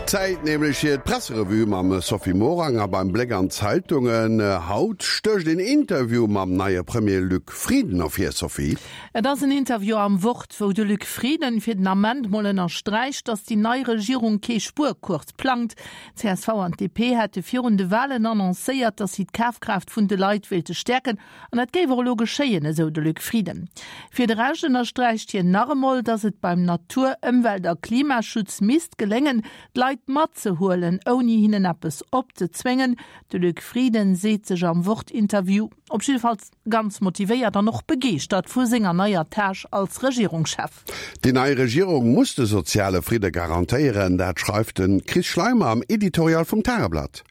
Zäit nämlech fir d'Presserevue mam Sophie Morang. A beim Bléck an d'Zeitungen haut stécht een Interview mam neie Premier Luc Frieden ervir, Sophie. Et ass en Interview am Wort, wou de Luc Frieden fir den Ament mol ënnersträicht, datt déi nei Regierung kee Spuerkurs plangt. Csv an d'DP hätte virun de Walen annoncéiert, datt si d'Kafkraaft vun de Leit wéilte stäerken An dat géif och elo geschéien, esou de Luc Frieden. Fir de Rescht ënnersträicht hien nach emol, datt et beim Natur-, Ëmwelt a Klimaschutz misst geléngen, d'Leit matzehuelen, ouni hinnen eppes opzezwéngen. De Luc Frieden seet sech am Wort-Interview op jiddefalls ganz motivéiert an och begeeschtert vu senger neier Tâche als Regierungschef. Déi nei Regierung muss de soziale Fridde garantéieren, dat schreift de Chris Schleimer am Editorial vum Tageblatt.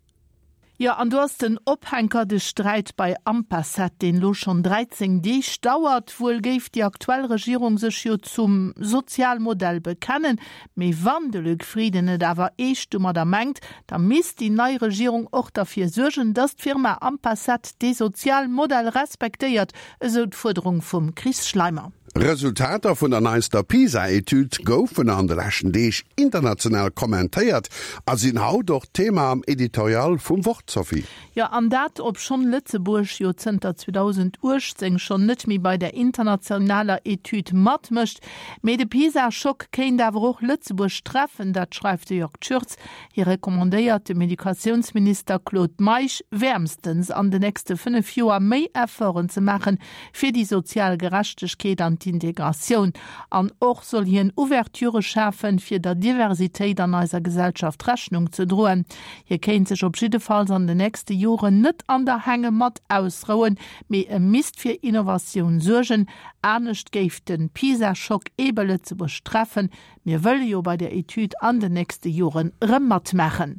Jo, an do ass den Ophänker, de Sträit bei Ampacet, deen elo schonn 13 Deeg dauert. Wuel géif déi aktuell Regierung sech jo zum Sozialmodell bekennen, mee wann de Luc Frieden et awer eescht domadder mengt, da misst déi nei Regierung och derfir suergen, datt d'Firma Ampacet dee Sozialmodell respektéiert, esou d'Fuerderung vum Chris Schleimer. Resultater vun der neister PISA-Etüd goufen an de leschten Deeg international kommentéiert a sinn haut och Thema am Editorial vum Wort, Sophie. Jo, an dat obschonn Lëtzebuerg jo zënter 2018 schonn net méi bei der internationaler Etüd matmécht. Mee de PISA-Schock kéint awer och Lëtzebuerg treffen, dat schreift de Jörg Tschürtz. Hie recommandéiert dem Educatiounsminister Claude Meisch wäermstens an de nächste 5 Joer méi Efforten ze maachen, fir déi sozial Gerechtegkeet an d'Integratioun. An och soll hien Ouverturë schafen, fir der Diversitéit an eiser Gesellschaft Rechnung ze droen. Hie kéint sech op jiddefalls an de nächste Joren net an der Hängematt ausrouen, mee e misst fir Innovatioun suergen, anescht géif de PISA-Schock eebe Lëtzebuerg treffen, Mir wëlle jo bei der Etüd an den nächste Joren erëm matmaachen.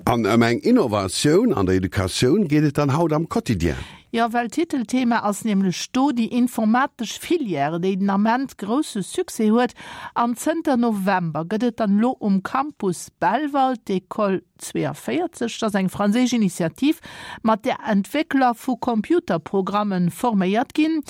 An ëm eng Innovatioun an der Educatioun geet et dann haut am Quotidien. Jo, well Titelthema ass nämlech do déi informatesch Filière, déi den Ament grousse Succès huet. An zënter November gëtt et dann elo um Campus Belval d'Ecole 42, dat ass eng franséisch Initiativ, mat där Entwéckler vu Computerprogrammen forméiert ginn.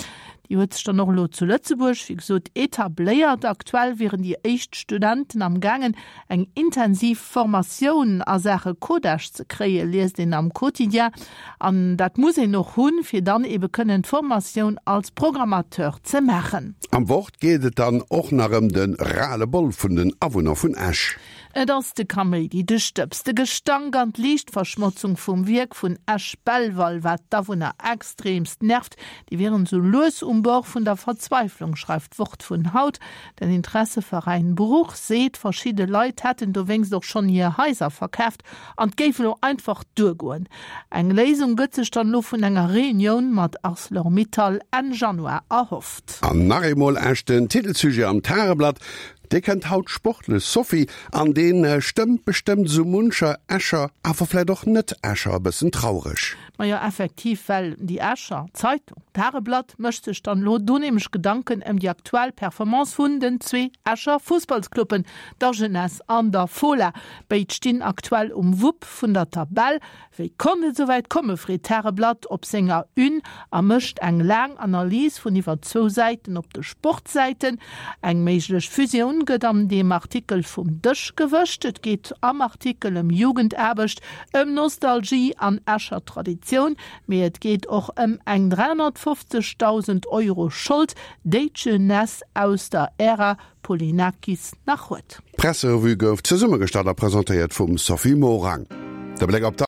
Déi huet sech dann och elo zu Lëtzebuerg, wéi gesot, etabléiert. Aktuell wieren déi éischt Studenten am gaangen, eng intensiv Formatioun a Saache Codage ze kréien, liest een am Quotidien. An dat muss een och hunn, fir dann ebe kënnen d'Formatioun als Programmateur ze maachen. Am Wort geet et dann och nach ëm de Ras-le-bol vun den Awunner vun Esch. Et ass de Kaméidi, de Stëbs, de Gestank an d'Liichtverschmotzung vum Wierk vun Esch-Belval, wat d'Awunner extreemst nervt. Déi wieren esou lues um Bord vun der Verzweiflung, schreift d'Wort vun haut. Den Interesseveräin Bruch seet, verschidde Leit hätten dowéinst och schonn hir Haiser verkaaft an et géif elo einfach duergoen. Eng Léisung gëtt sech dann elo vun enger Reunioun mat Arcelor-Mittal Enn Januar erhofft. An nach eemol Esch, den Titelsujet am Tageblatt. Dee kënnt haut sportlech, Sophie, an dee stëmmt bestëmmt esou muncher Escher, awer vläit och Net-Escher e bëssen traureg. Majo, effektiv, well déi Escher Zeitung Tageblatt mécht sech dann elo do nämlech Gedanken ëm déi aktuell Performance vun den zwee Escher Fussballscluben, der Jeunesse an der Fola. Béid stinn aktuell um Wupp vun der Tabell. Wéi konnt et esouwäit komme freet d'Tageblatt op senger Une a mécht eng laang Analys vun iwwer zwou Säiten op de Sportsäiten. Eng méiglech Fusioun gëtt an deem Artikel vum Dësch gewëscht. Et geet am Artikel ëm Jugendaarbecht, ëm Nostalgie an Escher Traditioun, mee et geet och ëm eng 350.000 Euro Schold, déi d'Jeunesse aus der Ära Polinakis nach huet. D'Presserevue gouf zesummegestallt a presentéiert vum Sophie Morang. De Bléck op.